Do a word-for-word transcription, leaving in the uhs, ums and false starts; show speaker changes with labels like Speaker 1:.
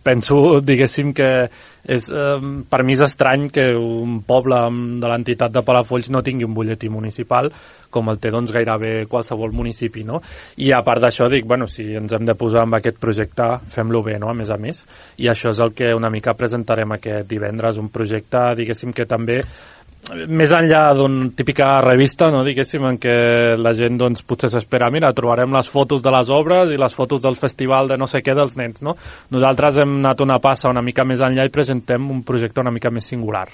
Speaker 1: penso, diguéssim, que és, eh, per mi és estrany que un poble de l'entitat de Palafolls no tingui un butlletí municipal com el té doncs, gairebé qualsevol municipi, no? I a part d'això dic, bueno, si ens hem de posar amb aquest projecte, fem-lo bé, no?, a més a més, i això és el que una mica presentarem aquest divendres, un projecte, diguéssim, que també més enllà d'una típica revista, no, diguéssim, en què la gent doncs, potser s'espera, mira, trobarem les fotos de les obres i les fotos del festival de no sé què dels nens, no? Nosaltres hem anat una passa una mica més enllà i presentem un projecte una mica més singular.